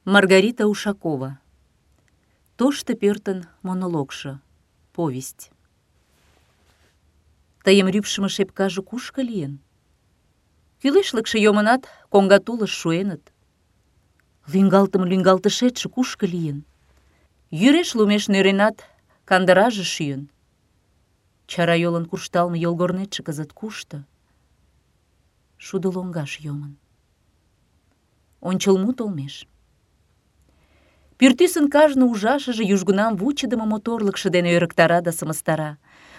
Маргарита Ушакова. Тошто пӧртын монологшо. Повесть. Тыйым рӱпшымӧ шепкаже кушко лийын? Кӱлешлыкше йомынат, коҥга тулыш шуэныт. Лӱҥгалтыше-лӱҥгалтышетше кушко лийын? Йӱреш лумеш нӧренат, кандыраже шӱйын. Чарайолын куржталме йолгорнетше кызыт кушто? Шудо лоҥгаш йомын. Ончылмут олмеш. Пӱртӱсын кажне ужашыже южгунам вучыдымо моторлыкшо дене ӧрыктара да сымыстара.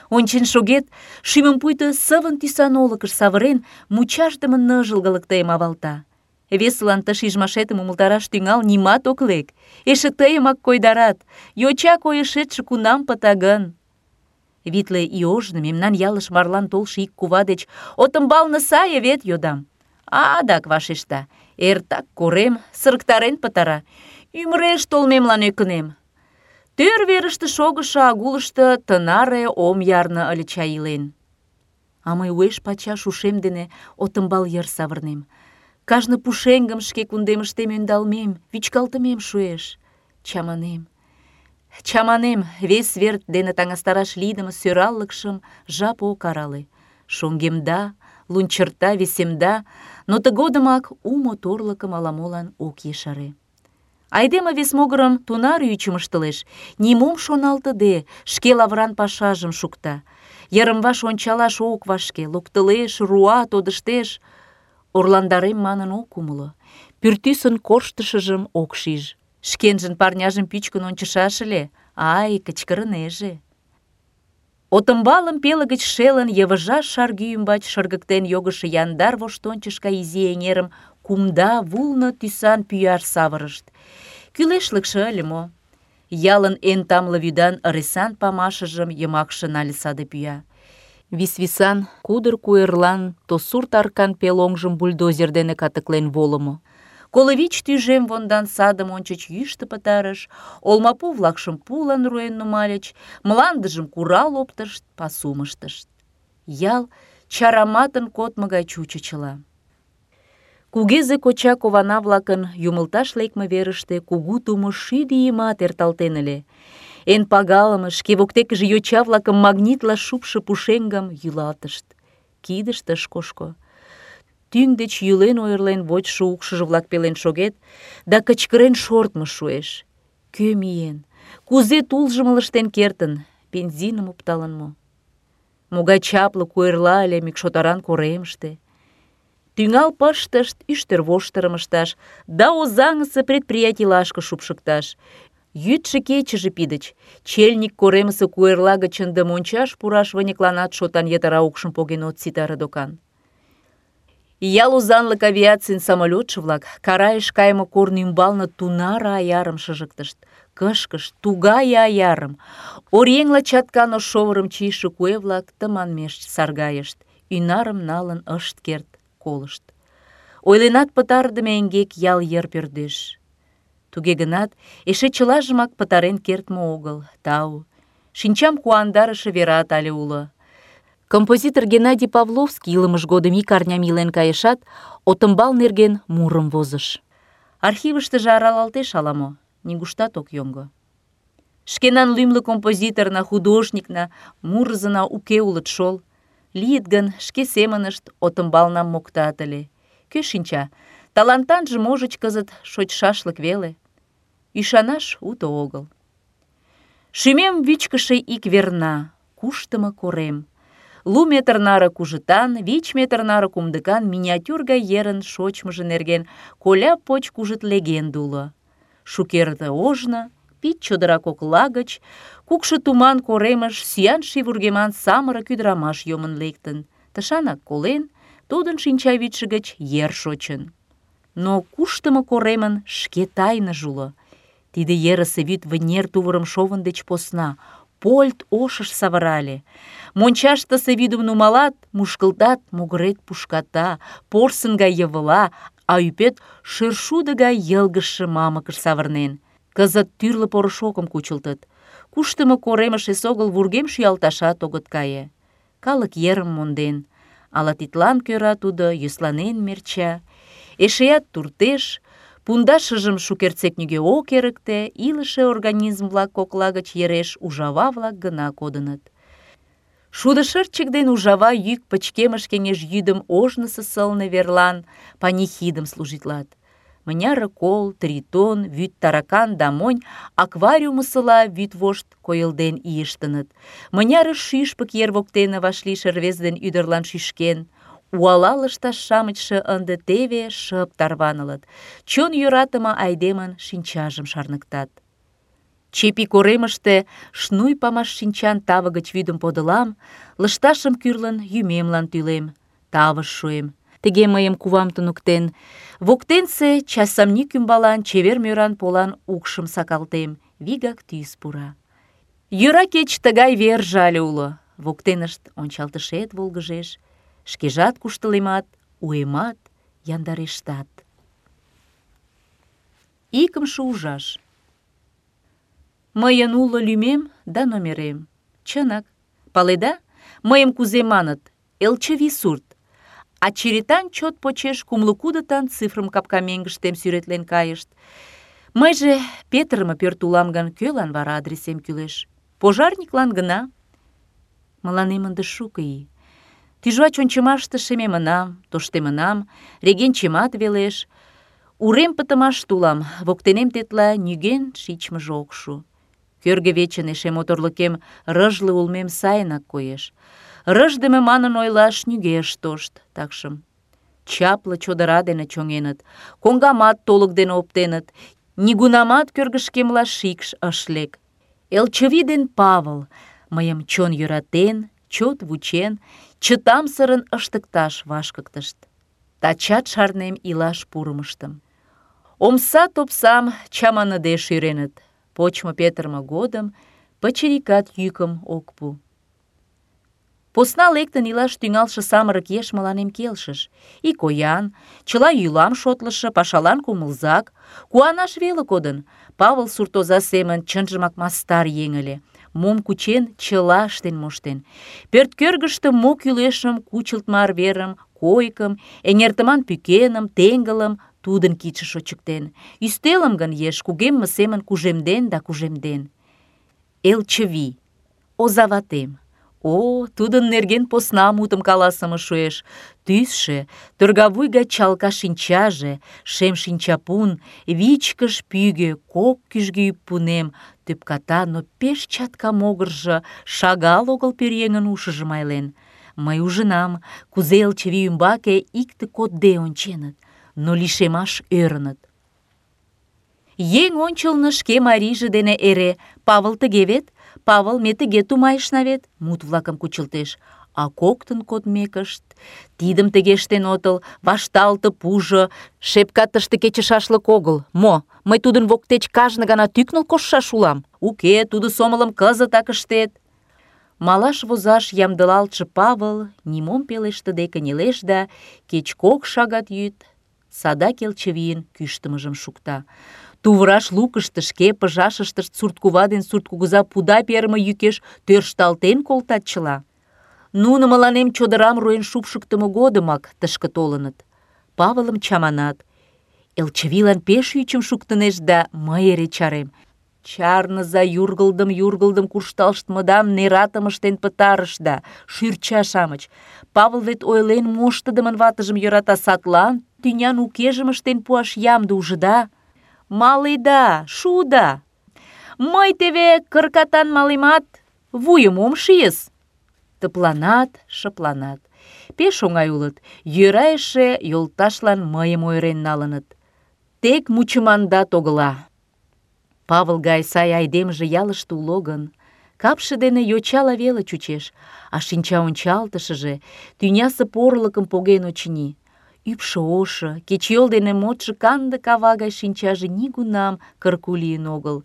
Ончен шогет, шӱмым пуйто сывын тӱсан олыкыш савырен, мучашдыме ныжылгылык тыйым авалта. Весылан ты шижмашетым умылтараш тӱҥал, нимат ок лек. Эше тыйымак койдарат. Йоча койышетше кунам пыта гын? Витле ий ожно мемнан ялыш марлан толшо ик кува деч «Отымбалне сае вет?» йодам. Адак вашешта: «Эртак корем, сырыктарен пытара. Ӱмыреш толмемлан ӧкынем. Тӧр верыште шогышо агулышто тынаре ом ярне ыле чай илен». А мый уэш-пачаш ушем дене Отымбал йыр савырнем. Кажне пушеҥгым шке кундемыштем ӧндалмем, вӱчкалтымем шуэш. Чаманем, вес вер дене таҥастараш лийдыме сӧраллыкшым жап ок арале. Шоҥгемда, лунчырта, весемда, но тыгодымак у моторлыкым ала-молан ок ешаре. Айдеме вес могырым тунар ӱчым ыштылеш, нимом шоналтыде, шке лавыран пашажым шукта. Йырым-ваш ончалаш ок вашке, локтылеш, руа, тодыштеш. Орландарем манын ок умыло. Пӱртӱсын корштышыжым ок шиж. Шкенжын парняжым пӱчкын ончышаш ыле. Ай, кычкырынеже. Отымбалым пеле гыч шелын, йывыжаш шаргӱ ӱмбач шыргыктен йогышо яндар воштончыш гай изи эҥерым кумда вулно тӱсан пӱяш савырышт. Кӱлешлыкше ыле мо? Ялын эн тамле вӱдан ыресан памашыжым йымакше нале саде пӱя. Висвисан, кудыр куэрлан то сурт аркан пелоҥжым бульдозер дене катыклен волымо. 25 тӱжем вондан садым ончыч йӱштӧ пытарыш, олмапу-влакшым пулан руэн нумальыч, мландыжым курал оптышт, пасум ыштышт. Ял чараматын кодмо гай чучычыла. Кугезе коча кована-влакын юмылташ лекме верыште кугу тумо 50 ийымат эрталтен ыле. Эн пагалыме, шке воктекыже йоча-влакым магнитла шупшо пушеҥгым йӱлатышт. Кидышт ыш кошко. Тӱҥ деч йӱлен-ойырлен вочшо укшыжо-влак пелен шогет, да кычкырен шортмо шуэш. Кӧ миен? Кузе тулжым ылыжтен кертын? Бензиным опталын мо? Могай чапле куэрла ыле мӱкшотаран коремыште. Тӱҥал пыштышт ӱштервоштырым ышташ да Озаҥысе предприятийлашке шупшыкташ. Йӱдшӧ-кечыже пидыч. Чельник коремысе куэрла гыч ынде мончаш пураш выньыкланат шотан йытыра укшым поген от ситаре докан. Ял озанлык авиацийын самолётшо-влак Карайыш кайыме корно ӱмбалне тунаре аярым шыжыктышт. Кышкышт, тугай аярым. Оръеҥла чаткан ош шовырым чийыше куэ-влак тыманмеш саргайышт. Ӱнарым налын ышт керт, колышт. Ойленат пытарыдыме эҥгек ял йыр пӧрдеш. Туге гынат, эше чылажымак пытарен кертме огыл. Тау. Шинчам куандарыше верат але уло. Композитор Геннадий Павловский илымыж годым ик арням илен кайышат, Отымбал нерген мурым возыш. Архивыштыже аралалтеш ала-мо, нигуштат ок йоҥго. Шкенан лӱмлӧ композиторна, художникна, мурызына уке улыт шол. Лийыт гын, шке семынышт Отымбалнам моктат ыле. Кӧ шинча, талантанже можыч кызыт шочшашлык веле. Ӱшанаш уто огыл. Шӱмем вӱчкышӧ ик верна, куштымо корем. 2 метр наре кужытан, 5 метр наре кумдыкан миниатюр гай ерын шочмыжо нерген коля поч кужыт легенде уло. Шукерте ожно, пич чодыра кокла гыч, кукшо туман коремыш сӱан ший вургеман самырык ӱдырамаш йомын лектын. Тышанак колен, тудын шинчавӱдшӧ гыч ер шочын. Но куштымо коремын шке тайныже уло. Тиде ерысе вӱд вынер тувырым шовын деч посна, польт ошыш савырале. Мончаштысе вӱдым нумалат, мушкылтат, могырет пушката, порсын гай йывыла, а ӱпет шӧршудо гай йылгыжше мамыкыш савырнен. Кызыт тӱрлӧ порошокым кучылтыт. Куштымо коремыш эсогыл вургем шӱялташат огыт кае. Калык ерым монден. Ала тидлан кӧра тудо йӧсланен мерча. Эшеат туртеш, Пундашыжым шукертсек нигӧ ок эрыкте, илыше организм-влак кокла гыч ереш ужава-влак гына кодыныт. Шудышырчык ден ужава йӱк пычкемыш кеҥеж йӱдым ожнысо сылне верлан панихидым служитлат. Мыняре кол, тритон, вӱд таракан да монь аквариумысыла вӱд вошт койылден ийыштыныт. Мыняре шӱшпык ер воктене вашлийше рвезе ден ӱдырлан шӱшкен. Уала лышташ-шамычше ынде теве шып тарванылыт, чон йӧратыме айдемын шинчажым шарныктат. Чепи коремыште шнуй памаш шинчан таве гыч вӱдым подылам, лышташым кӱрлын йӱмемлан тӱлем, тавыш шуэм. Тыге мыйым кувам туныктен. Воктенсе часамник ӱмбалан чевер мӧран полан укшым сакалтем, вигак тӱс пура. Йӧра кеч тыгай верже але уло. Воктенышт ончалтышет волгыжеш, шкежат куштылемат, уэмат яндарештат. Икымше ужаш. Мыйын уло лӱмем да номерем. Чынак, паледа, мыйым кузе маныт? Элчывий сурт. А черетан чот почеш кумло кудытан цифрым капка меҥгыштем сӱретлен кайышт. Мыйже петырыме пӧрт улам гын, кӧлан вара адресем кӱлеш? Пожарниклан гына. Мыланем ынде шуко ий. Тӱжвач ончымаште шемемынам, тоштемынам, регенчемат велеш. Урем пытымаште улам, воктенем тетла нигӧн шичмыже ок шу. Кӧргӧ вечын эше моторлыкем рыжле улмем сайынак коеш. Рыждыме манын ойлаш нигӧ ыш тошт, такшым. Чапле чодыра дене чоҥеныт, коҥгамат толык дене оптеныт, нигунамат кӧргышкемла шикш ыш лек. Элчывий ден Павыл мыйым чон йӧратен, чот вучен, чытамсырын ыштыкташ вашкыктышт. Тачат шарнем илаш пурымыштым. Омса-топсам чаманыде шӱреныт. Почмо петырыме годым пычырикат йӱкым ок пу. Посна лектын илаш тӱҥалше самырык еш мыланем келшыш. Икоян, чыла йӱлам шотлышо, пашалан кумылзак, куанаш веле кодын. Павыл суртоза семын чынжымак мастар еҥ ыле. Мом кучен, чыла ыштен моштен. Пӧрткӧргыштӧ мо кӱлешым, кучылтмо арверым, койкым, эҥертыман пӱкеным, теҥгылым тудын кидше шочыктен. Ӱстелым гын еш кугемме семын кужемден да кужемден. Элчывий, озаватем. О, тудын нерген посна мутым каласыме шуэш. Тӱсшӧ, торгавуй гай чалка шинчаже, шем шинчапун, вичкыж пӱгӧ, кок кӱжгӧ ӱппунем, тӧпката, но пеш чатка могыржо шагал огыл пӧръеҥын ушыжым айлен. Мый ужынам, кузе Элчывий ӱмбаке икте кодде онченыт, но лишемаш ӧрыныт. Еҥ ончылно шке марийже дене эре «Павыл тыге вет? Павыл, ме тыге тумайышна вет?» мут-влакым кучылтеш. А коктын кодмекышт, тидым тыге ыштен отыл, вашталте пужо, шепка тыште кечышашлык огыл. Мо, мый тудын воктеч кажне гана тӱкныл коштшаш улам? Уке, тудо сомылым кызытак ыштет. Малаш возаш ямдылалтше Павыл нимом пелештыде кынелеш да кеч 2 шагат йӱд садак Элчывийын кӱштымыжым шукта. Тувраш лукышто шке пыжашыштышт сурткува ден сурткугыза пуда перыме йӱкеш тӧршталтен колтат чыла. Нуно мыланем чодырам руэн шупшыктымо годымак тышке толыныт. Павылым чаманат. Элчывийлан пеш ӱчым шуктынешт да мый эре чарем. Чарныза, юргылдым куржталштмыдам нератым ыштен пытарышда, шӱрча-шамыч. Павыл вет ойлен моштыдымын ватыжым йӧрата, садлан тӱнян укежым ыштен пуаш ямде, ужыда? Маледа, шуда. Мый теве кыркатан малемат, вуйым ом шийыс. Тыпланат, шыпланат. Пеш оҥай улыт. Йӧра эше йолташлан мыйым ойырен налыныт. Тек мучымандат огыла. Павыл гай сай айдемже ялыште уло гын, капше дене йочала веле чучеш, а шинча ончалтышыже тӱнясе порылыкым поген, очыни. Ӱпшӧ ошо, кечыйол дене модшо канде кава гай шинчаже нигунам кырку лийын огыл.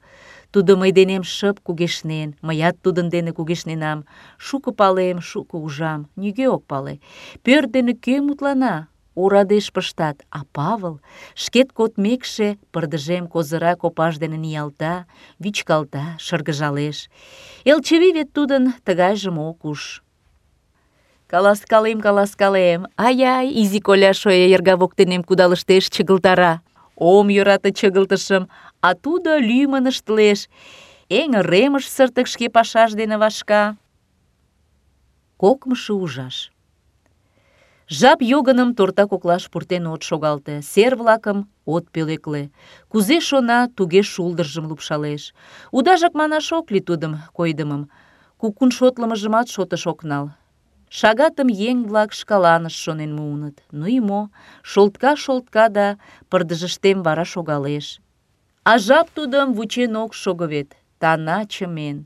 Тудо мый денем шып кугешнен, мыят тудын дене кугешненам. Шуко палем, шуко ужам, нигӧ ок пале. Пӧрт дене кӧ мутлана? Орадеш пыштат, а Павыл шкет кодмекше пырдыжем козыра копаж дене ниялта, вӱчкалта, шыргыжалеш. Элчывий вет тудын тыгайжым ок уж. Каласкалем, ай-ай, изи коля шоя йырга воктенем кудалыштеш, чыгылтара. ом йӧрате чыгылтышым, а тудо лӱмын ыштылеш. Эҥыремыш сыртык шке пашаж дене вашка. Кокымшо ужаш. Жап йогыным торта коклаш пуртен от шогалте, сер-влакым от пӧлекле. Кузе шона, туге шулдыржым лупшалеш. Удажак манаш ок лий тудым койдымым. Кукун шотлымыжымат шотыш ок нал. Шагатым еҥ-влак шкаланышт шонен муыныт. Ну и мо, шолтка да пырдыжыштем вара шогалеш. А жап тудым вучен ок шого вет, тана чымен.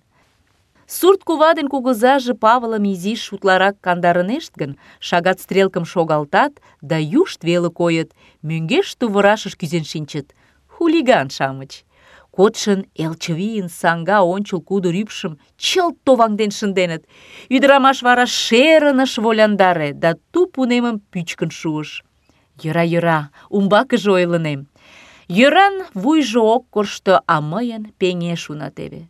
Сурт кува ден кугызаже Павылым изиш утларак кандарынешт гын, шагат стрелкым шогалтат да юшт веле койыт, мӧҥгеш тувырашыш кӱзен шинчыт. Хулиган-шамыч. Кодшын Элчывийын саҥга ончыл кудыр ӱпшым чылт товаҥден шынденыт. Ӱдырамаш вара шерын ыш воляндаре да туп унемым пӱчкын шуыш. Йӧра, умбакыже ойлынем. Йӧран вуйжо ок коршто, а мыйын пеҥеш уна теве.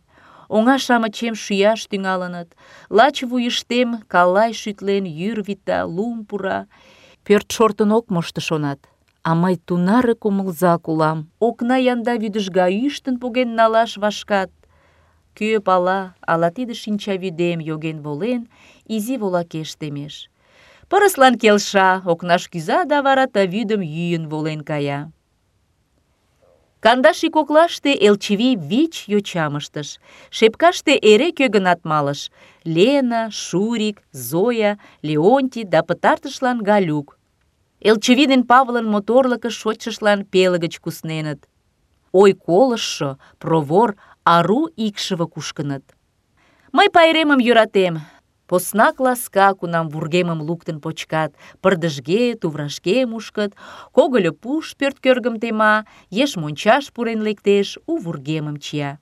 Оҥа-шамычем шӱяш тӱҥалыныт, лач вуйыштем калай шӱтлен йӱр вита, лум пура. Пӧрт шортын ок мошто, шонат. А мый тунаре кумылзак улам. Окна янда вӱдыжга ӱштын поген налаш вашкат. Кӧ пала, ала тиде шинчавӱдем йоген волен, изи волакеш темеш. Пырыслан келша, окнаш кӱза да вара ты вӱдым йӱын волен кая. Кандаш ий коклаште Элчивий 5 йочам ыштыш. Шепкаште эре кӧ-гынат малыш: Лена, Шурик, Зоя, Леонтий да пытартышлан Галюк. Элчивий ден Павылын моторлыкыш шочшыштлан пеле гыч кусненыт. Ой, колыштшо, провор, ару икшыве кушкыныт. Мый пайремым йӧратем. Поснак ласка, кунам вургемым луктын почкат, пырдыжге, туврашке мушкыт, когыльо пуш пӧрткӧргым тема, еш мончаш пурен лектеш, у вургемым чия.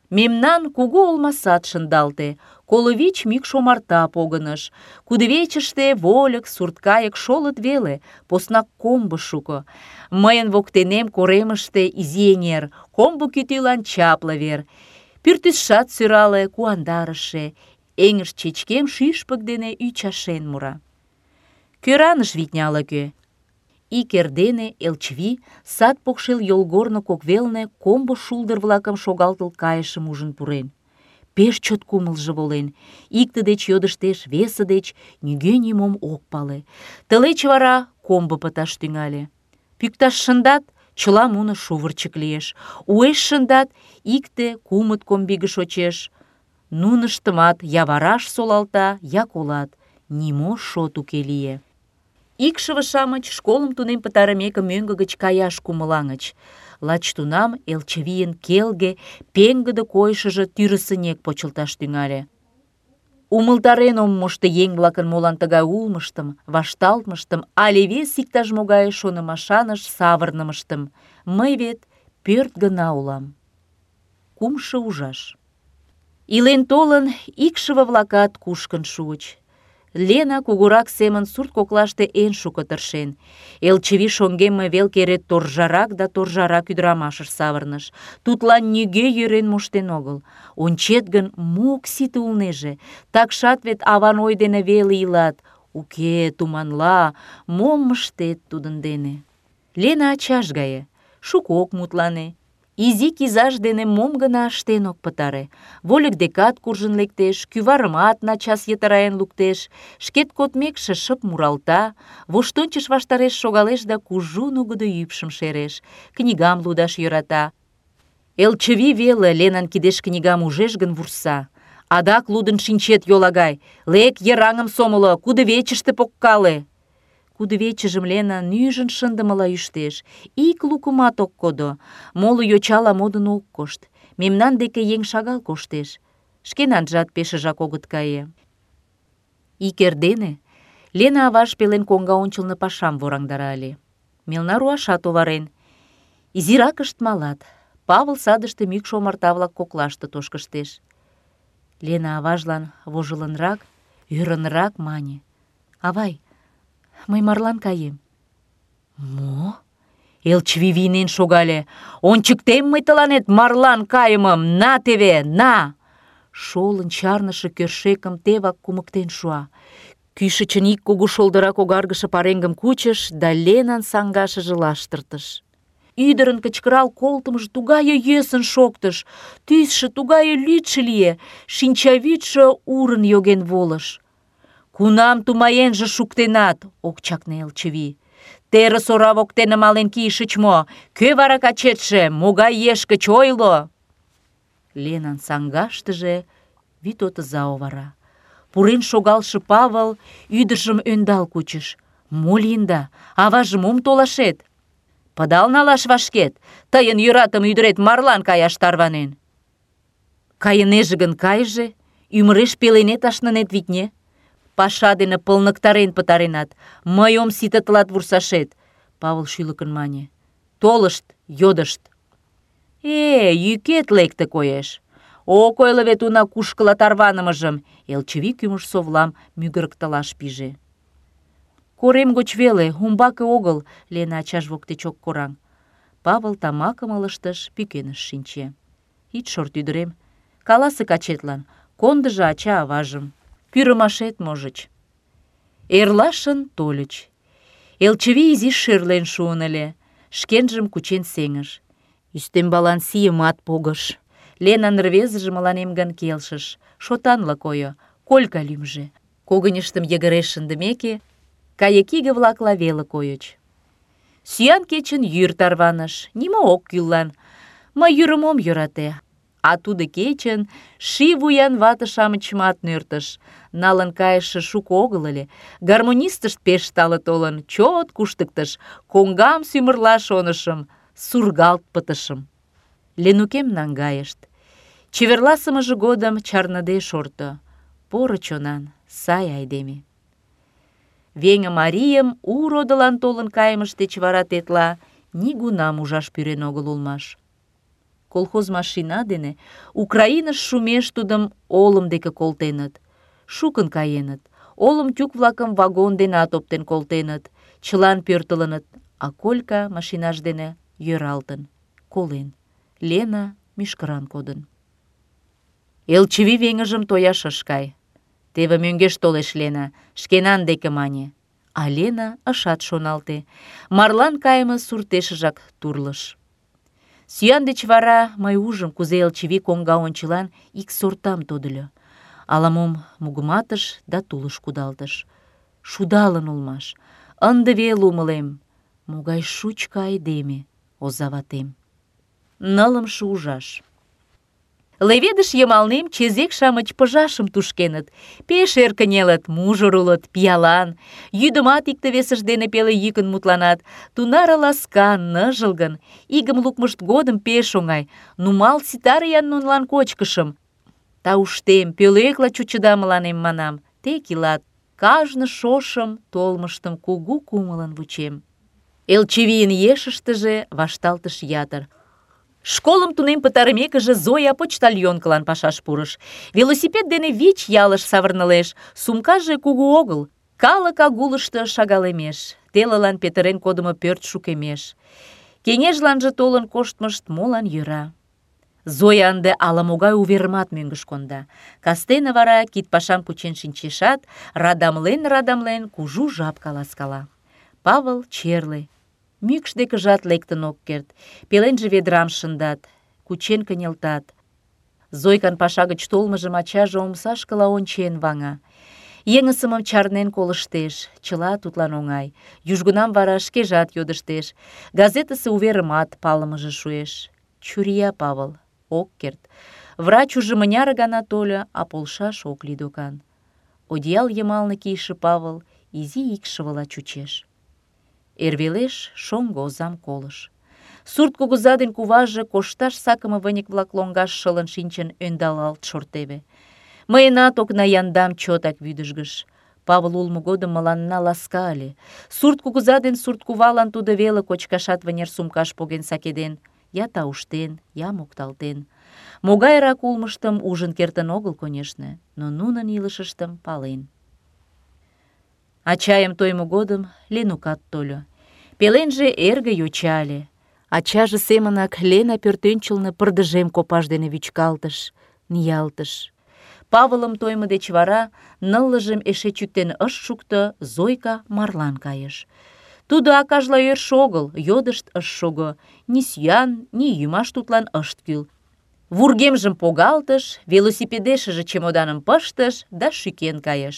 Мемнан кугу олмасат шындалте, 25 мӱкш омарта погыныш. Кудывечыште вольык, сурткайык шолыт веле, поснак комбо шуко. Мыйын воктенем коремыште изи эҥер, комбо кӱтӱлан чапле вер. Пӱртӱсшат сӧрале, куандарыше. Эҥыж чечкем шӱшпык дене ӱчашен мура. Кӧраныш витня ала-кӧ. Ик эрдене Элчивий сад покшел йолгорно кок велне комбо шулдыр-влакым шогалтыл кайышым ужын пурен. Пеш чот кумылжо волен. Икте деч йодыштеш, весе деч, нигӧ нимом ок пале. Тылеч вара комбо пыташ тӱҥале. Пӱкташ шындат, чыла муно шувырчык лиеш. Уэш шындат, икте, кумыт комбиге шочеш. Нуныштымат я вараш солалта, я колат. Нимо шот уке лие. Икшыве-шамыч школым тунем пытарымеке мӧҥгӧ гыч каяш кумылаҥыч. Лач тунам Элчивийын келге, пеҥгыде койышыжо тӱрысынек почылташ тӱҥале. Умылтарен ом мошто еҥ-влакын молан тыгай улмыштым, вашталтмыштым але вес иктаж-могай шонымашаныш савырнымыштым. Мый вет пӧрт гына улам. Кумшо ужаш. Илен-толын, икшыве-влакат кушкын шуыч. Лена кугурак семын сурт коклаште эн шуко тыршен. Элчивий шоҥгемме велке эре торжарак да торжарак ӱдырамашыш савырныш. Тудлан нигӧ йӧрен моштен огыл. Ончет гын, мо ок сите улнеже. Такшат вет аван ой дене веле илат. Уке, туманла, мом ыштет тудын дене. Лена ачаж гае. Шуко ок мутлане. Изи кизаж дене мом гына ыштен ок пытаре. Вольык декат куржын лектеш, кӱварымат начас йытыраен луктеш, шкет кодмекше шып муралта, воштончыш ваштареш шогалеш да кужу нугыдо ӱпшым шереш, книгам лудаш йӧрата. Элчывий веле Ленан кидеш книгам ужеш гын вурса. Адак лудын шинчет, йолагай, лек йыраҥым сомыло, кудывечыште погкале. Кудывечыжым Лена нӱжын шындымыла ӱштеш. Ик лукымат ок кодо. Моло йочала модын ок кошт. Мемнан деке еҥ шагал коштеш. Шкенанжат пешыжак огыт кае. Ик эрдене Лена аваж пелен коҥга ончылно пашам вораҥдара ыле. Мелна руашат оварен. Изиракышт малат. Павыл садыште мӱкш омарта-влак коклаште тошкыштеш. Лена аважлан вожылынрак, ӧрынрак мане: «Авай, мый марлан каем». «Мо?» Элчивий вийнен шогале. «Ончыктем мый тыланет марлан кайымым! На теве, на!» Шолын чарныше кӧршекым тевак кумыктен шуа. Кӱшычын ик кугу шолдыра когаргыше пареҥгым кучыш да Ленан саҥгашыже лаштыртыш. Ӱдырын кычкырал колтымыжо тугае йӧсын шоктыш, тӱсшӧ тугае лӱдшӧ лие, шинчавӱдшӧ урын йоген волыш. «Кунам тумаенже шуктенат?» — ок чакне Элчывий. «Терыс ора воктене мален кийышыч мо? Кӧ вара качетше? Могай еш гыч ойло!» Ленан саҥгаштыже вӱд отыза овара. Пурен шогалше Павыл ӱдыржым ӧндал кучыш. «Мо лийында? Аваже мом толашет? Пыдал налаш вашкет? Тыйын йӧратыме ӱдырет марлан каяш тарванен». «Кайынеже гын кайыже, ӱмыреш пеленет ашнынет, витне. Паша дене пылныктарен пытаренат. Мый ом сите тылат вурсашет», — Павыл шӱлыкын мане. «Толышт, йодышт». Йӱкет лекте, коеш. Ок ойло вет уна кушкыла тарванымыжым», — Элчывий кӱмыж совлам мӱгырыктылаш пиже. «Корем гоч веле, умбаке огыл», — Лена ачаж воктеч ок кораҥ. Павыл тамакым ылыжтыш, пӱкеныш шинче. «Ит шорт, ӱдырем, каласе качетлан, кондыжо ача-аважым. Пӱрымашет, можыч». Эрлашын тольыч. Элчывий изиш шӧрлен шуын ыле, шкенжым кучен сеҥыш. Ӱстембалан сийымат погыш. Ленан рвезыже мыланем гын келшыш. Шотанла койо, Колька лӱмжӧ. Когыньыштым йыгыре шындымеке, кайыкиге-влакла веле койыч. Сӱан кечын йӱр тарваныш, нимо ок кӱллан. Мый йӱрым ом йӧрате. А тудо кечын ший вуян вате-шамычымат нӧртыш. Налын кайыше шуко огыл ыле. Гармонистышт пеш тале толын, чот куштыктыш. Коҥгам сӱмырла шонышым, сургалт пытышым. Ленукем наҥгайышт. Чеверласымыже годым чарныде шорто. Поро чонан, сай айдеме. Веҥе марийым у родылан толын кайымышт деч вара тетла нигунам ужаш пӱрен огыл улмаш. Колхоз машина дене Украиныш шумеш тудым олым деке колтеныт. Шукын каеныт. Олым тюк-влакым вагон денат оптен колтеныт. Чылан пӧртылыныт, а Колька машинаж дене йӧралтын, колен. Лена мӱшкыран кодын. Элчывий веҥыжым тояш ыш кай. «Теве мӧҥгеш толеш Лена», — шкенан деке мане. А Лена ышат шоналте. Марлан кайыме суртешыжак турлыш. Сӱан деч вара мый ужым, кузе Элчывий коҥга ончылан ик сортам тодыльо. Ала-мом мугыматыш да тулыш кудалтыш. Шудалын улмаш. Ынде веле умылем, могай шучко айдеме озаватем. 9-шы ужаш. Леведыш йымалнем чезек-шамыч пыжашым тушкеныт. Пеш эр кынелыт, мужыр улыт, пиалан. Йӱдымат икте-весышт дене пеле йӱкын мутланат. Тунаре ласкан, ныжылгын. Игым лукмышт годым пеш оҥай. Нумал ситаре-ян нунылан кочкышым. Тауштем, пӧлекла чучыда мыланем, манам. Тек илат. Кажне шошым толмыштым кугу кумылын вучем. Элчывийын ешыштыже вашталтыш ятыр. Школым тунем пытарымекыже Зоя почтальонкылан пашаш пурыш. Велосипед дене 5 ялыш савырнылеш. Сумкаже кугу огыл. Калык агулышто шагалемеш. Телылан петырен кодымо пӧрт шукемеш. Кеҥежланже толын коштмышт молан йӧра. Зоя ынде ала-могай уверымат мӧҥгыш конда. Кастене вара кидпашам кучен шинчешат, радамлен-радамлен кужу жап каласкала. Павыл черле. Мӱкш декыжат лектын ок керт. Пеленже ведрам шындат, кучен кынелтат. Зойкан паша гыч толмыжым ачаже омсашкыла ончен ваҥа. Еҥысымым чарнен колыштеш, чыла тудлан оҥай. Южгунам вара шкежат йодыштеш. Газетысе уверымат палымыже шуэш. Чурия Павыл, ок керт. Врач уже мыняре гана тольо, а полшаш ок лий докан. Одеял йымалне кийыше Павыл изи икшывыла чучеш. Эрвелеш шоҥго озам колыш. Сурт кугыза ден куваже кошташ сакыме выньык-влак лоҥгаш шылын шинчын ӧндалалт шортеве. Мыйынат окна яндам чотак вӱдыжгыш. Павыл улмо годым мыланна ласка ыле. Сурт кугыза ден сурт кувалан тудо веле кочкашат вынер сумкаш поген сакеден, я тауштен, я мокталтен. Могайрак улмыштым ужын кертын огыл, конешне, но нунын илышыштым пален. Ачайым тоймо годым Ленукат тольо. Пеленже эрге йоча ыле. Ачаже семынак Лена пӧртӧнчылнӧ пырдыжем копаж дене вӱчкалтыш, ниялтыш. Павылым тоймо деч вара, ныллыжым эше чӱктен ыш шукто, Зойка марлан кайыш. Тудо акажла ӧршӧ огыл, йодышт ыш шого. Ни сӱан, ни йӱмаш тудлан ышт кӱл. Вургемжым погалтыш, велосипедешыже чемоданым пыштыш да шӱкен кайыш.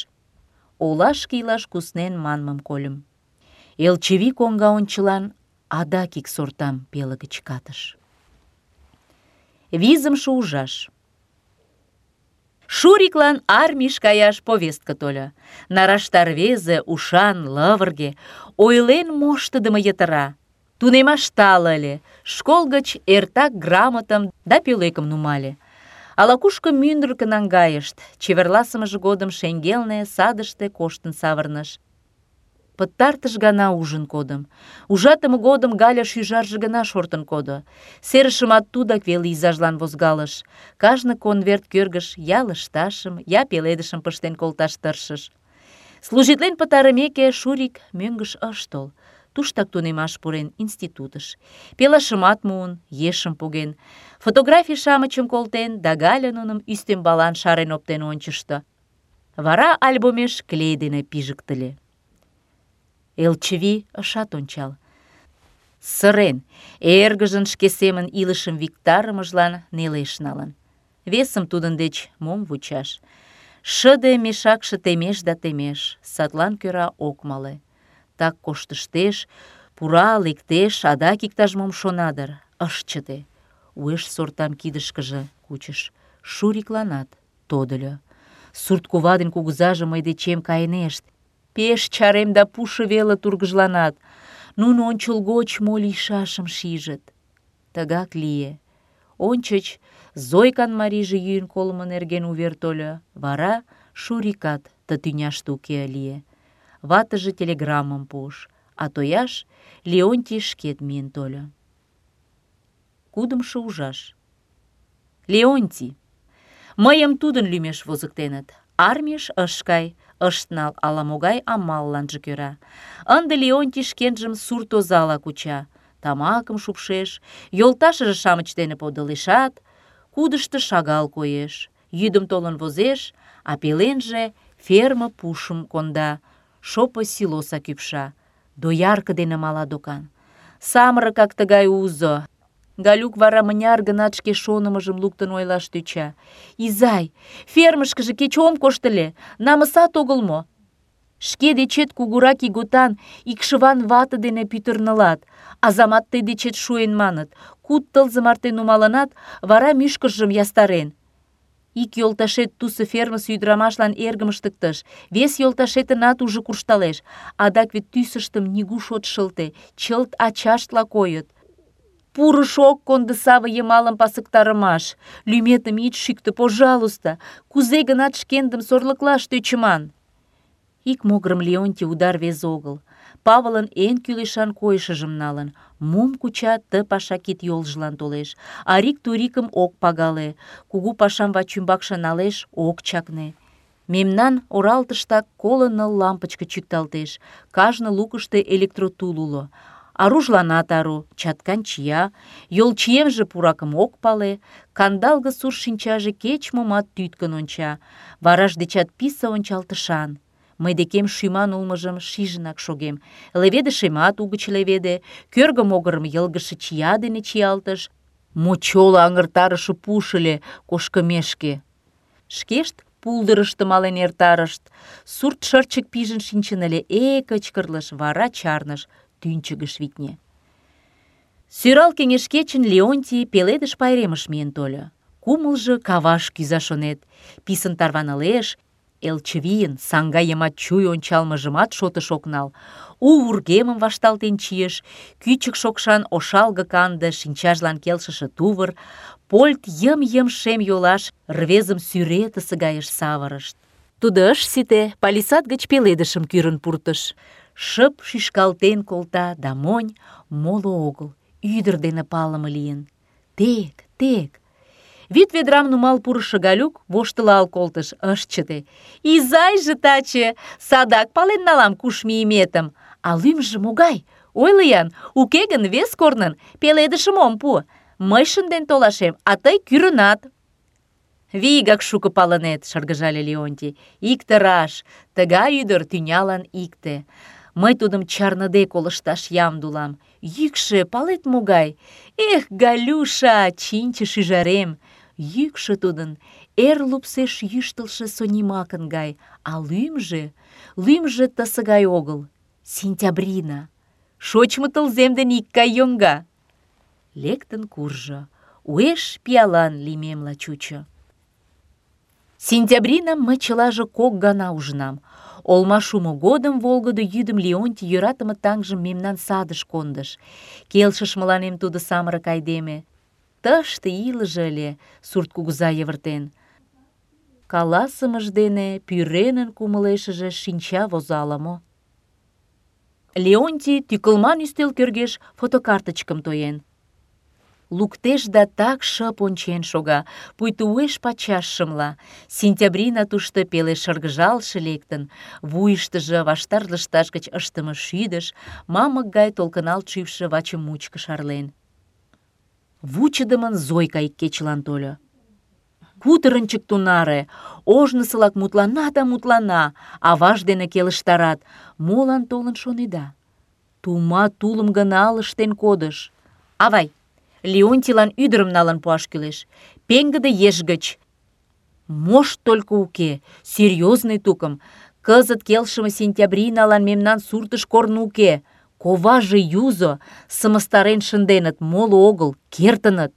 Олашке илаш куснен манмым кольым. Элчывий коҥга ончылан адак ик сортам пеле гыч катыш. 5-ымше ужаш. Шуриклан армийыш каяш повестка тольо. Нарашта рвезе, ушан, лывырге, ойлен моштыдымо йытыра. Тунемаш тале ыле, школ гыч эртак грамотым да пӧлекым нумале. Ала-кушко мӱндыркӧ наҥгайышт, чеверласымыже годым шеҥгелне садыште коштын савырныш. Пытартыш гана ужын кодым. Ужатыме годым Галя шӱжарже гына шортын кодо. Серышымат тудак веле изажлан возгалыш. Кажне конверт кӧргыш я лышташым, я пеледышым пыштен колташ тыршыш. Служитлен пытарымеке, Шурик мӧҥгыш ыш тол. Туштак тунемаш пурен институтыш. Пелашымат муын, ешым поген. Фотографий-шамычым колтен, да Галя нуным ӱстембалан шарен оптен ончышто. Вара альбомеш клей дене пижыктыле. Элчывий ышат ончал. Сырен, эргыжын шке семын илышым виктарымыжлан нелеш налын. Весым тудын деч мом вучаш? Шыде мешакше темеш да темеш, садлан кӧра ок мале. Так коштыштеш, пура, лектеш, адак иктаж-мом шона дыр, ыш чыте. Уэш сортам кидышкыже кучыш. Шурикланат тодыльо. Сурткува ден кугызаже мый дечем кайынешт. Пеш чарем да пушо веле тургыжланат. Нуно ончылгоч мо лийшашым шижыт. Тыгак лие. Ончыч Зойкан марийже йӱын колымо нерген увер тольо, вара Шурикат ты тӱняште уке лие. Ватыже телеграммым пуыш, а тояш Леонтий шкет миен тольо. 6-ымше ужаш. Леонтий. Мыйым тудын лӱмеш возыктеныт. Армийыш ыш кай, ышт нал ала-могай амалланже кӧра. Ынде Леонтий шкенжым сурт озала куча. Тамакым шупшеш, йолташыже-шамыч дене подылешат, кудышто шагал коеш. Йӱдым толын возеш, а пеленже ферме пушым конда, шопо силоса кӱпша. Доярке дене мала докан. Самырыкак тыгай узо. Галюк вара мыняр-гынат шке шонымыжым луктын ойлаш тӧча. «Изай, фермышкыже кеч ом кошт ыле, намысат огыл мо? Шке дечет кугурак ийготан икшыван вате дене пӱтырнылат, азамат тый дечет шуэн маныт, 5 тылзе марте нумалынат, вара мӱшкыржым ястарен. Ик йолташет тусе фермысе ӱдырамашлан эргым ыштыктыш, вес йолташетынат уже куржталеш, адак вет тӱсыштым нигуш от шылте, чылт ачаштла койыт. Пурыш ок кондо саве йымалым пасыктарымаш. Лӱметым ит шӱктӧ, пожалуйста, кузе гынат шкендым сорлыклаш тӧчыман». Ик могырым Леонтий уда рвезе огыл. Павылын эн кӱлешан койышыжым налын. Мом куча, ты паша кид-йолжылан толеш. Арик-турикым ок пагале. Кугу пашам вачӱмбакше налеш, ок чакне. Мемнан оралтыштак 49 лампычке чӱкталтеш. Кажне лукышто электротул уло. Аружланат ару, чаткан чия, йолчиемже пуракым ок пале, кандалге сур шинчаже кеч-момат тӱткын онча, вараж дечат писе ончалтышан. Мый декем шӱман улмыжым шижынак шогем. Леведышемат угыч леведе, кӧргӧ могырым йылгыжше чия дене чиялтыш, мочоло аҥыртарыше пуш ыле кошкымешке. Шкешт пулдырышто мален эртарышт. Сурт шырчык пижын шинчын ыле, кычкырлыш, вара чарныш, тӱнчыгыш витне. Сӧрал кеҥеж кечын Леонтий пеледыш пайремыш миен тольо. Кумылжо каваш кӱза шонет. Писын тарванылеш, Элчывийын саҥга йымач чуй ончалмыжымат шотыш ок нал. У вургемым вашталтен чийыш, кӱчык шокшан ошалге-канде шинчажлан келшыше тувыр, польт йым-йым шем йолаш рвезым сӱретысе гайыш савырышт. Тудо ыш сите, палисад гыч пеледышым кӱрын пуртыш. Шып шӱшкалтен колта да монь, моло огыл, ӱдыр дене палыме лийын. Тек, тек. Вӱд ведрам нумал пурышо Галюк воштылал колтыш, ыш чыте. «Изайже таче, садак пален налам куш мийыметым. А лӱмжӧ могай? Ойло-ян, уке гын вес корнын пеледышым ом пу. Мый шынден толашем, а тый кӱрынат». «Вигак шуко палынет», — шыргыжале Леонтий. «Икте раш, тыгай ӱдыр тӱнялан икте. Мый тудым чарныде колышташ ямде улам. Йӱкшӧ, палет, могай? Эх, Галюша, чинче шӱжарем! Йӱкшӧ тудын эр лупсеш йӱштылшӧ Сонимакын гай, а лӱмжӧ тысе гай огыл. Сентябрина. Шочмо тылзем дене икгай йоҥга. Лектын куржо. Уэш пиалан лиймемла чучо. Сентябринам мый чылаже 2 гана ужынам. Олма шумо годым волгыдо йӱдым Леонтий йӧратыме таҥжым мемнан садыш кондыш. Келшыш мыланем тудо самырык айдеме. Тыште илыже ыле, сурт кугыза йывыртен. Каласымыж дене пӱренын кумылешыже шинча возо ала-мо. Леонтий тӱкылман ӱстел кӧргеш фотокарточкым тоен. Луктеш да так шып ончен шога, пуйто уэш-пачаш шымла. Сентябрина тушто пеле шыргыжалше лектын, вуйыштыжо ваштар лышташ гыч ыштыме шӱдыш, мамык гай толкыналт шӱвшӧ ваче мучко шарлен. Вучыдымын Зойка ик кечылан тольо. Кутырынчык тунаре, ожнысылак мутлана да мутлана, аваж дене келыштарат. Молан толын шонеда? Тума тулым гына ылыжтен кодыш. Авай, Леонтийлан ӱдырым налын пуаш кӱлеш. Пеҥгыде еш гыч. Мошт только уке, серьезный тукым. Кызыт келшыме Сентябриналан мемнан суртыш корно уке. Коваже юзо, сымыстарен шынденыт, моло огыл, кертыныт.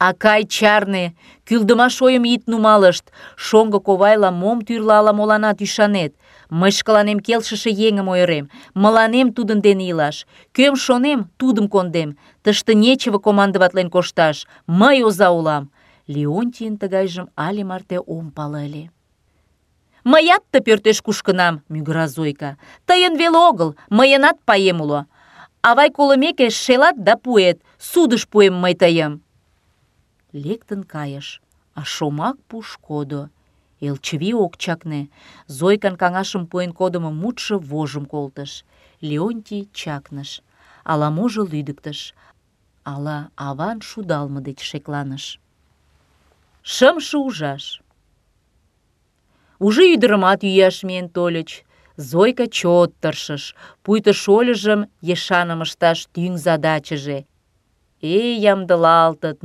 Акай, чарне, кӱлдымаш ойым ит нумалышт. Шоҥго ковайлан мом тӱрлӧ ала-моланат ӱшанет. Мый шкаланем келшыше еҥым ойырем. Мыланем тудын дене илаш. Кӧм шонем, тудым кондем. Тыште нечево командоватлен кошташ. Мый оза улам. Леонтийын тыгайжым але марте ом пале ыле. Мыят ты пӧртеш кушкынам, мӱгыра Зойка. Тыйын веле огыл, мыйынат паем уло. Авай колымеке шелат да пуэт. Судыш пуэм мый тыйым. Лектын кайыш, а шомак пуш кодо. Элчывий ок чакне. Зойкан каҥашым пуэн кодымо мутшо вожым колтыш. Леонтий чакныш. Ала-можо лӱдыктыш. Ала аван шудалме деч шекланыш. Шымше ужаш. Уже ӱдырымат йӱаш миен тольыч. Зойка чот тыршыш, пуйто шольыжым ешаным ышташ тӱҥ задачыже. Ямдылалтыт,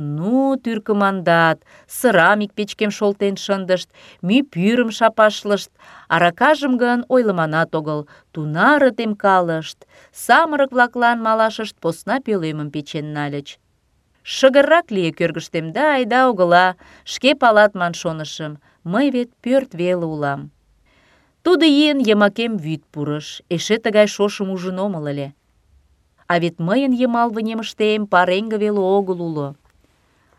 тӱркымандат, сырам ик печкем шолтен шындышт, мӱй пӱрым шапашлышт, аракажым гын ойлыманат огыл, тунаре темкалышт, самырык-влаклан малашышт посна пӧлемым печен нальыч. Шыгыррак лие кӧргыштем да айда огыла, шке палат ман шонышым, мый вет пӧрт веле улам. Тудо ийын йымакем вӱд пурыш, эше тыгай шошым ужын омыл ыле. А вет мыйын йымал вынемыштем пареҥге веле огыл уло.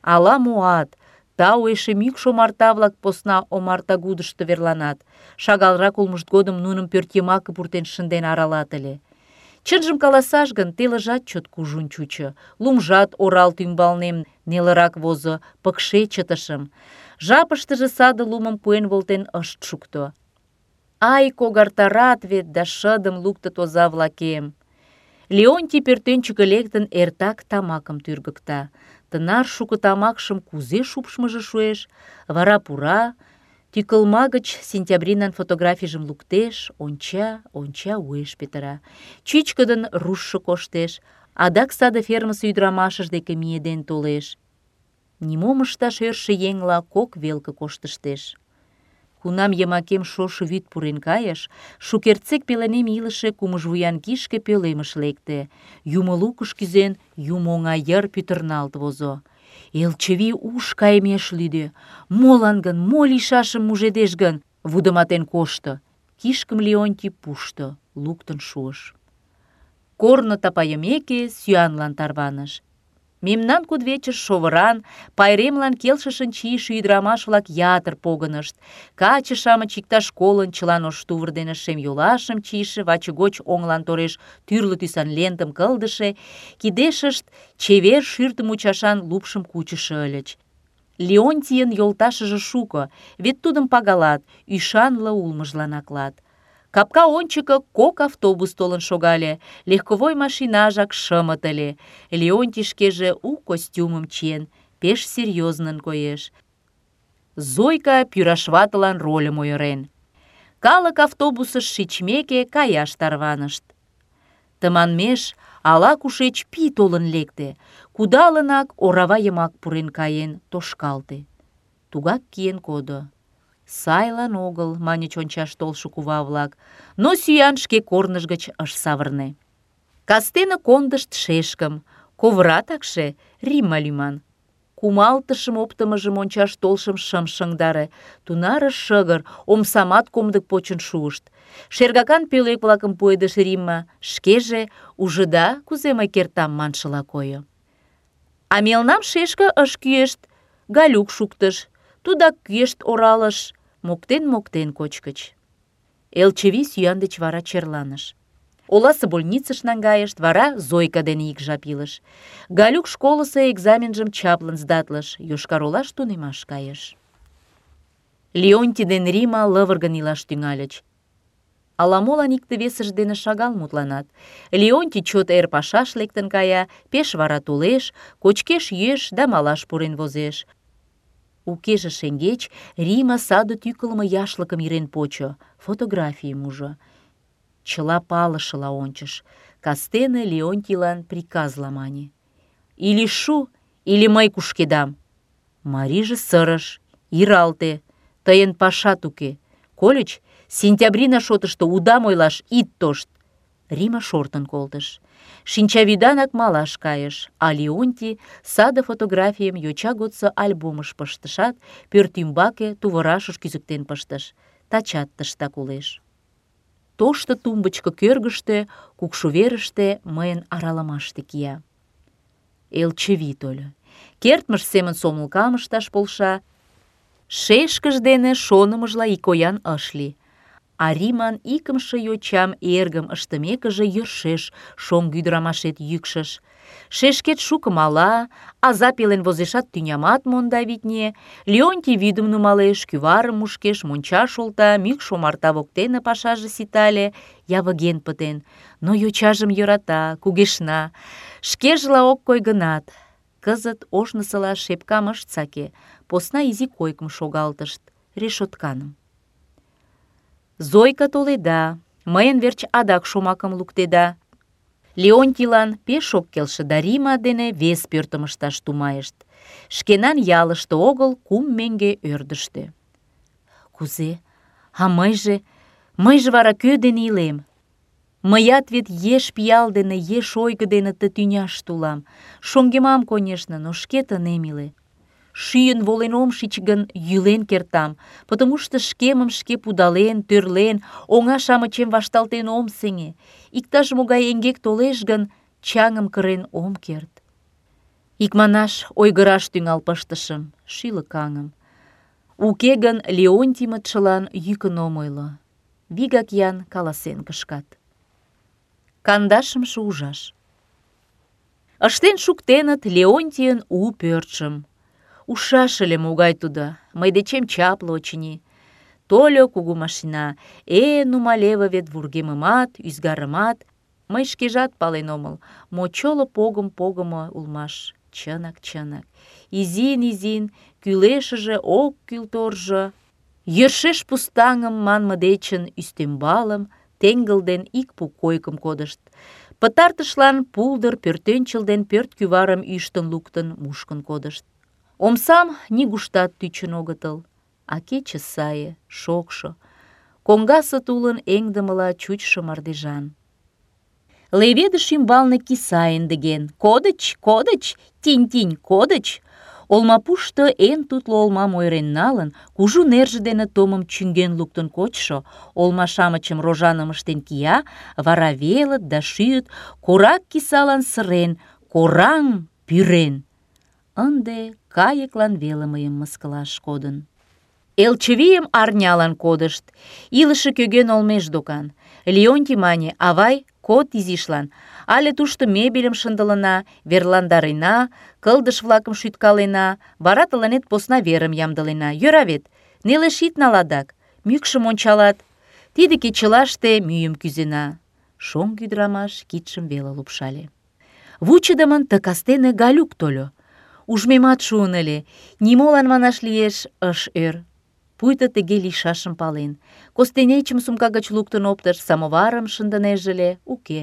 Ала муат, тау эше мӱкш омарта-влак посна омартагудышто верланат. Шагалрак улмышт годым нуным пӧртйымаке пуртен шынден аралат ыле. Чынжым каласаш гын, телыжат чот кужун чучо, лумжат оралт ӱмбалнем нелырак возо, пыкше чытышым. Жапыштыже саде лумым пуэн волтен ышт шукто. Ай, когартарат вет да шыдым луктыт оза-влакем. Леонтий пӧртӧнчыкӧ лектын эртак тамакым тӱргыкта. Тынар шуко тамакшым кузе шупшмыжо шуэш? Вара пура, тӱкылма гыч Сентябринан фотографийжым луктеш, онча, уэш петыра. Чӱчкыдын руштшо коштеш, адак саде фермысе ӱдырамашыж деке миеден толеш. Нимом ышташ ӧршӧ еҥла кок велке коштыштеш. Кунам йымакем шошо вӱд пурен кайыш, шукертсек пеленем илыше кумыжвуян кишке пӧлемыш лекте. Юмо лукыш кӱзен, юмо оҥа йыр пӱтырналт возо. Элчывий уш кайымеш лӱдӧ. Молан гын, мо лийшашым мужедеш гын, вудыматен кошто. Кишкым Леонтий пушто, луктын шуыш. Корно тапайымеке, сӱанлан тарваныш. Мемнан кудывечыш шовыран, пайремлан келшышын чийыше ӱдырамаш-влак ятыр погынышт. Каче-шамыч иктаж колын чылан ош тувыр дене шем йолашым чийыше, ваче гоч оҥлан тореш тӱрлӧ тӱсан лентым кылдыше, кидешышт чевер шӱртӧ мучашан лупшым кучышо ыльыч. Леонтийын йолташыже шуко, вет тудым пагалат, ӱшанле улмыжлан аклат. Капка ончыко кок автобус толын шогале, легковой машинажак шымыт ыле. Леонтий шкеже у костюмым чиен, пеш серьёзнын коеш. Зойка пӱраш ватылан рольым ойырен. Калык автобусыш шичмеке каяш тарванышт. Тыманмеш ала-кушеч пий толын лекте, кудалынак орава йымак пурен каен, тошкалте. Тугак киен кодо. «Сайлан огыл», — маньыч ончаш толшо кува-влак, но сӱан шке корныж гыч ыш савырне. Кастене кондышт шешкым, ковыра такше Римма лӱман. Кумалтышым оптымыжым ончаш толшым шым шыҥдаре, тунаре шыгыр, омсамат комдык почын шуышт. Шергакан пӧлек-влакым пуэдыш Римма, шкеже «ужыда, кузе мый кертам» маншыла койо. А мелнам шешке ыш кӱэшт, Галюк шуктыш, тудак кӱэшт оралыш, моктен-моктен кочкыч. Элчывий сӱан деч вара черланыш. Оласе больницыш наҥгайышт, вара Зойка дене ик жап илыш. Галюк школысо экзаменжым чаплын сдатлыш, Йошкар-Олаш тунемаш кайыш. Леонтий ден Рима лывыргын илаш тӱҥальыч. Ала-молан икте-весышт дене шагал мутланат. Леонтий чот эр пашаш лектын кая, пеш вара толеш, кочкеш-йӱэш да малаш пурен возеш. Укеже шеҥгеч Рима саде тӱкылымӧ яшлыкым ирен почо, фотографийым ужо. Чыла палышыла ончыш. Кастене Леонтийлан приказла мане: «Или шу, или мый кушкедам». Марийже сырыш: «Иралте, тыйын пашат уке. Кольыч, сентябрина шотышто удам ойлаш ит тошт». Рима шортын колтыш. Шинчавӱданак малаш кайыш, а Леонтий саде фотографийым йоча годсо альбомыш пыштышат, пӧртӱмбаке тувырашыш кӱзыктен пыштыш. Тачат тыштак улеш. Тошто тумбычко кӧргыштӧ, кукшу верыште мыйын аралымаште кия. Элчывий тольо. Кертмыж семын сомылкам ышташ полша. Шешкыж дене шонымыжла икоян ыш лий. А Риман икымше йочам эргым ыштымекыже йӧршеш шоҥго ӱдырамашет йӱкшыш. Шешкет шуко мала, аза пелен возешат тӱнямат монда, витне. Леонтий вӱдым нумалеш, кӱварым мушкеш, мончаш олта, мӱкш омарта воктене пашаже ситале, явыген пытен. Но йочажым йӧрата, кугешна. Шкежла ок кой гынат, кызыт ожнысыла шепкам ышт саке, посна изи койкым шогалтышт, решотканым. Зойка толеда, мыйын верч адак шомакым луктеда. Леонтийлан пеш ок келше да Рима дене вес пӧртым ышташ тумайышт. Шкенан ялыште огыл, 3 меҥге ӧрдыжтӧ. Кузе? А мыйже вара кӧ дене илем? Мыят вет еш пиал дене, еш ойго дене ты тӱняште улам. Шоҥгемам, конешне, но шке тынем иле. Шӱйын волен ом шич гын, йӱлен кертам, потомушто шкемым шке пудален, тӧрлен, оҥа-шамычем вашталтен ом сеҥе. Иктаж-могай эҥгек толеш гын, чаҥым кырен ом керт. Икманаш, ойгыраш тӱҥал пыштышым, шӱлыкаҥым. Уке гын, Леонтиймытшылан йӱкын ом ойло. Вигак ян каласен кышкат. 15-шо ужаш. Ыштен шуктеныт Леонтийын у пӧртшым. Ужшаш ыле, могай тудо, мый дечем чапле, очыни. Тольо кугу машина, нумалеве вет вургемымат, ӱзгарымат. Мый шкежат пален омыл, мочоло погым погымо улмаш. Чынак. Изин-изин, кӱлешыже ок кӱл торжо. Йӧршеш пустаҥым манме дечын ӱстембалым, теҥгыл ден ик пу койкым кодышт. Пытартышлан пулдыр пӧртӧнчыл ден пӧрт кӱварым ӱштын луктын, мушкын кодышт. Омсам нигуштат тӱчын огытыл, а кече сае, шокшо, коҥгасе тулын эҥдымыла чучшо мардежан. Леведыш ӱмбалне киса эндыген. Кодыч, тинь-тинь, кодыч. Олмапушто эн тутло олмам ойырен налын, кужу нерже дене томым чӱҥген луктын кочшо, олма-шамычым рожаным ыштен кия, вара велыт да шӱйыт, корак кисалан сырен, кораҥ пӱрен. Ынде кайыклан веле мыйым мыскылаш кодын. Элчывийым арнялан кодышт. Илыше кӧгӧн олмеш докан. Леонтий мане: «Авай, код изишлан. Але тушто мебельым шындылына, верландарена, кылдыш-влакым шӱткалена, вара тыланет посна верым ямдылена. Йӧра вет? Нелеш ит нал адак. Мӱкшым ончалат. Тиде кечылаште мӱйым кӱзена». Шоҥго ӱдырамаш кидшым веле лупшале. Вучыдымын ты кастене Галюк тольо. Ужмемат шуын ыле, нимолан манаш лиеш, ыш ӧр. Пуйто тыге лийшашым пален. Костенечым сумка гыч луктын оптыш, самоварым шындынеже ыле, уке.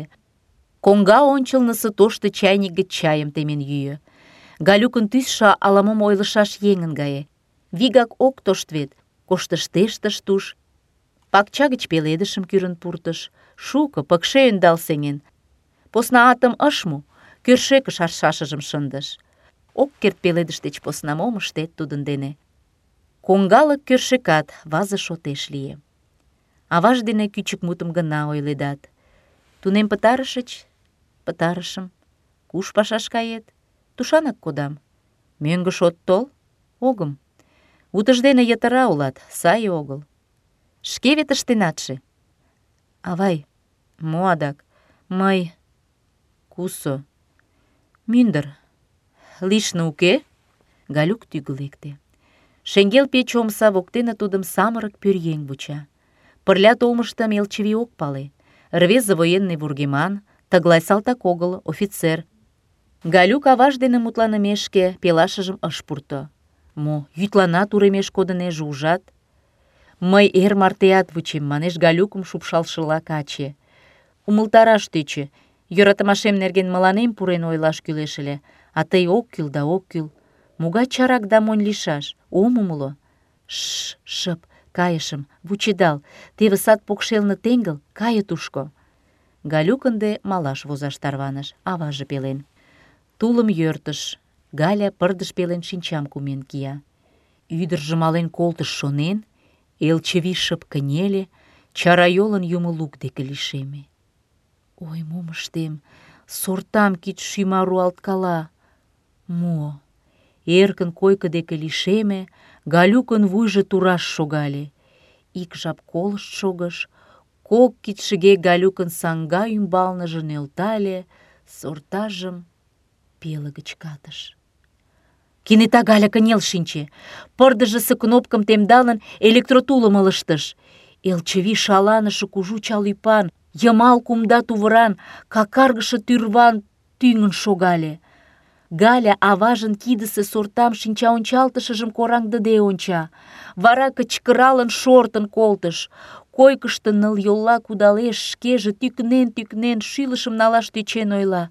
Коҥга ончылнысо тошто чайник гыч чайым темен йӱӧ. Галюкын тӱсшӧ ала-мом ойлышаш еҥын гае. Вигак ок тошт вет, коштыштеш тыш-туш. Пакча гыч пеледышым кӱрын пуртыш, шуко, пыкше ӧндал сеҥен. Посна атым ыш му, кӧршӧкыш аршашыжым шындыш. Ок керт пеледыш деч посна мом ыштет тудын дене. Коҥгалык кӧршӧкат вазе шотеш лие. Аваж дене кӱчык мутым гына ойледат. Тунем пытарышыч? Пытарышым. Куш пашаш кает? Тушанак кодам. Мӧҥгыш от тол? Огым. Утыждене йытыра улат, сай огыл. Шке вет ыштенатше. Авай, мо адак? Мый... Кусо? Мӱндыр. Лишне уке? Галюк тӱгӧ лекте. Шеҥгел пече омса воктене тудым самырык пӧръеҥ вуча. Пырля толмыштым Элчывий ок пале. Рвезе военный вургеман, тыглай салтак огыл, офицер. Галюк аваж дене мутланымешке пелашыжым ыш пурто. Мо, йӱдланат уремеш кодынеже, ужат? Мый эр мартеат вучем, манеш Галюкым шупшалшыла каче. Умылтараш тӧчӧ. Йӧратымашем нерген мыланем пурен ойлаш кӱлеш ыле, а тый ок кӱл да ок кӱл. Могай чарак да монь лийшаш? Ом умыло. Шып, кайышым, вучедал. Теве сад покшелне теҥгыл, кае тушко. Галюк ынде малаш возаш тарваныш, аваже пелен. Тулым йӧртыш. Галя пырдыж пелен шинчам кумен кия. Ӱдыржӧ мален колтыш шонен, Элчывий шып кынеле, чарайолын юмо лук деке лишеме. Ой, мом ыштем? Сортам кид шӱма руалткала. Мо? Эркын койко деке лишеме, Галюкын вуйжо тураш шогале. Ик жап колышт шогыш, кок кидшыге Галюкын саҥга ӱмбалныже нӧлтале, сортажым пеле гыч катыш. Кенета Галя кынел шинче. Пырдыжысе кнопкым темдалын, электротулым ылыжтыш. Элчывий шаланыше кужу чал ӱпан, йымал кумда тувыран, какаргыше тӱрван тӱҥын шогале. Галя аважын кидысе сортам шинчаончалтышыжым кораҥдыде онча. Вара кычкыралын шортын колтыш. Койкышто нылйолла кудалеш, шкеже тӱкнен-тӱкнен шӱлышым налаш тӧчен ойла.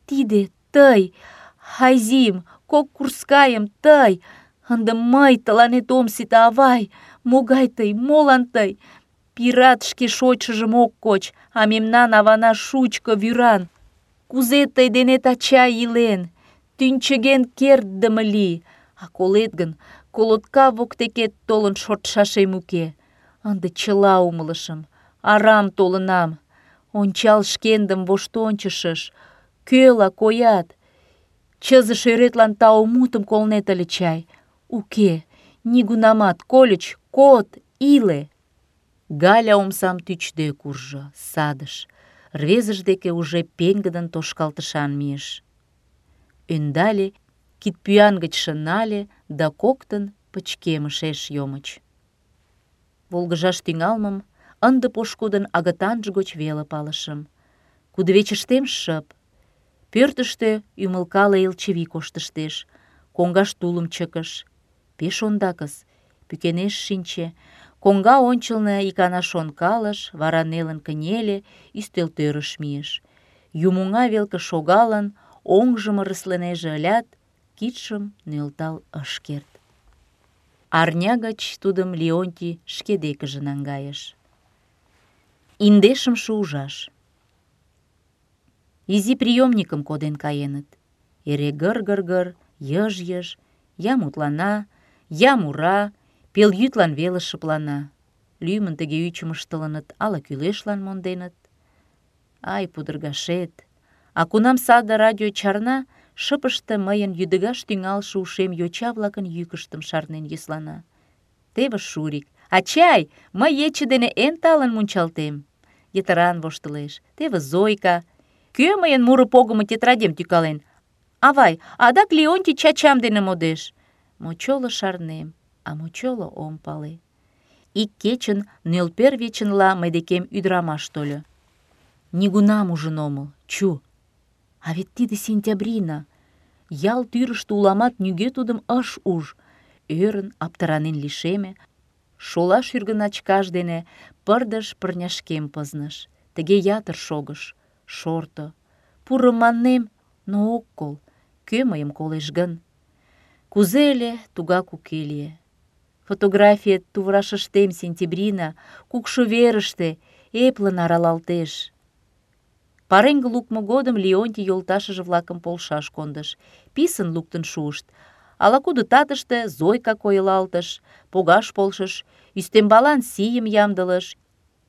Тиде тый, Айзим, кок курскайым тый. Ынде мый тыланет ом сите, авай. Могай тый, молан тый? Пират шке шочшыжым ок коч, а мемнан авана шучко, вӱран. Кузе тый денет ачай илен? Тӱнчыген кертдыме лий, а колет гын, колотка воктекет толын шортшашем уке. Ынде чыла умылышым, арам толынам. Ончал шкендым воштончышыш, кӧла коят. Чызе шӧретлан тау мутым колнет ыле чай. Уке, нигунамат, кольыч, код, иле. Галя омсам тӱчде куржо, садыш. Рвезыж деке уже пеҥгыдын тошкалтышан мийыш. Ӧндале, кидпӱан гычше нале да коктын пычкемышеш йомыч. Волгыжаш тӱҥалмым ынде пошкудын агытанже гоч веле палышым. Кудывечыштем шып. Пӧртыштӧ ӱмылкале Элчывий коштыштеш, коҥгаш тулым чыкыш. Пеш ондакыс, пӱкенеш шинче. Коҥга ончылно икана шонкалыш, вара нелын кынеле, ӱстелтӧрыш мийыш. Юмоҥа велке шогалын, оҥжым ыресленеже ылят, кидшым нӧлтал ыш керт. Арня гыч тудым Леонтий шке декыже наҥгайыш. Индешымше ужаш. Изи приёмникым коден каеныт. Эре гыр-гыр-гыр, йыж-йыж, я мутлана, я мура, пелйӱдлан веле шыплана. Лӱмын тыге ӱчым ыштылыныт, ала кӱлешлан монденыт. Ай, пудыргашет! А кунам саде радио чарна, шыпыште мыйын йӱдыгаш тӱҥалше ушем йоча-влакын йӱкыштым шарнен йӧслана. Теве Шурик. «Ачай, мый ече дене эн талын мунчалтем!» Йытыран воштылеш. Теве Зойка. «Кӧ мыйын муро погымо тетрадем тӱкален? Авай, адак Леонтий чачам дене модеш!» Мочоло шарнем, а мочоло ом пале. Ик кечын нӧлпер вечынла мый декем ӱдырамаш тольо. Нигунам ужын омыл, чу! А вет тиде Сентябрина. Ял тӱрыштӧ уламат нигӧ тудым ыш уж. Ӧрын, аптыранен лишеме. Шола шӱргыначкаж дене пырдыж пырняшкем пызныш. Тыге ятыр шогыш, шорто. Пуро маннем, но ок кол. Кӧ мыйым колеш гын? Кузе ыле, тугак уке лие. Фотографиет туврашыштем сентябрина, кукшо верыште, эплын аралалтеш. Пареҥге лукмо годым Леонтий йолташыже-влакым полшаш кондыш. Писын луктын шуышт. Ала-кудо татыште Зойка койылалтыш, погаш полшыш, ӱстембалан сийым ямдылыш.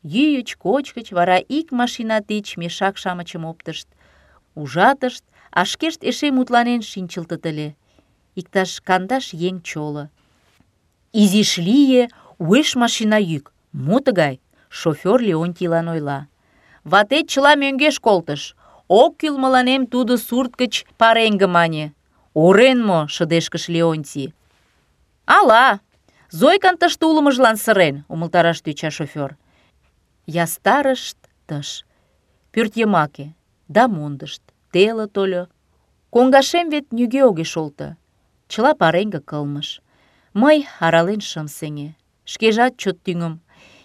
Йӱыч, кочкыч, вара ик машина тич мешак-шамычым оптышт. Ужатышт, а шкешт эше мутланен шинчылтыт ыле. Иктаж 50 еҥ чоло. Изиш лие, уэш машина йӱк. Мо тыгай? Шофёр Леонтийлан ойла. Ватет чыла мӧҥгеш колтыш. Ок кӱл мыланем тудо сурт гыч пареҥге мане. Орен мо? Шыдешкыш Леонтий. Ала! Зойкан тыште улмыжлан сырен, умылтараш тӧча шофёр. Ястарышт тыш. Пӧртйымаке. Да мондышт. Теле тольо. Коҥгашем вет нигӧ огеш олто. Чыла пареҥге кылмыш. Мый арален шым сеҥе. Шкежат чот тӱҥым.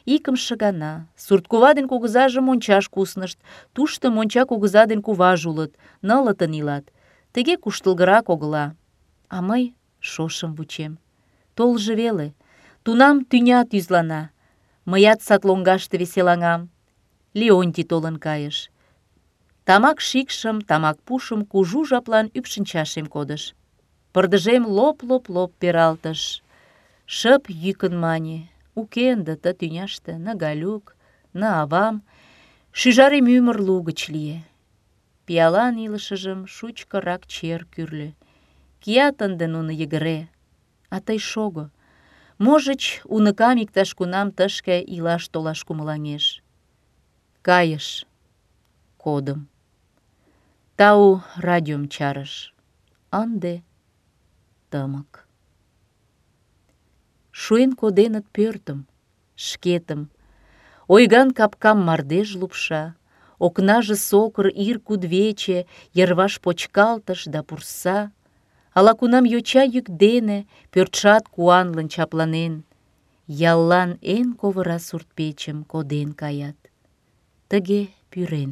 Икымше гана сурткува ден кугызаже мончаш куснышт. Тушто монча кугыза ден куваже улыт, нылытын илат. Тыге куштылгырак огыла. А мый шошым вучем. Толжо веле. Тунам тӱня тӱзлана. Мыят сад лоҥгаште веселаҥам. Леонтий толын кайыш. Тамак шикшым, тамак пушым кужу жаплан ӱпшынчашем кодыш. Пырдыжем лоп-лоп-лоп пералтыш. Шып йӱкын мане. Уке ынде ты тӱняште ны Галюк, ны авам. Шӱжарем ӱмыр лугыч лие. Пиалан илышыжым шучкырак чер кӱрльӧ. Кият ынде нуно йыгыре. А тый шого. Можыч, уныкам иктаж-кунам тышке илаш-толаш кумылаҥеш. Кайыш. Кодым. Тау, радиом чарыш. Ынде тымык. Шуэн коденыт пӧртым, шкетым. Ойган капкам мардеж лупша, окнаже сокыр ир кудвече, йырваш почкалтыш да пурса. Ала-кунам йоча йӱк дене пӧртшат куанлын чапланен. Яллан эн ковыра суртпечым коден каят. Тыге пӱрен.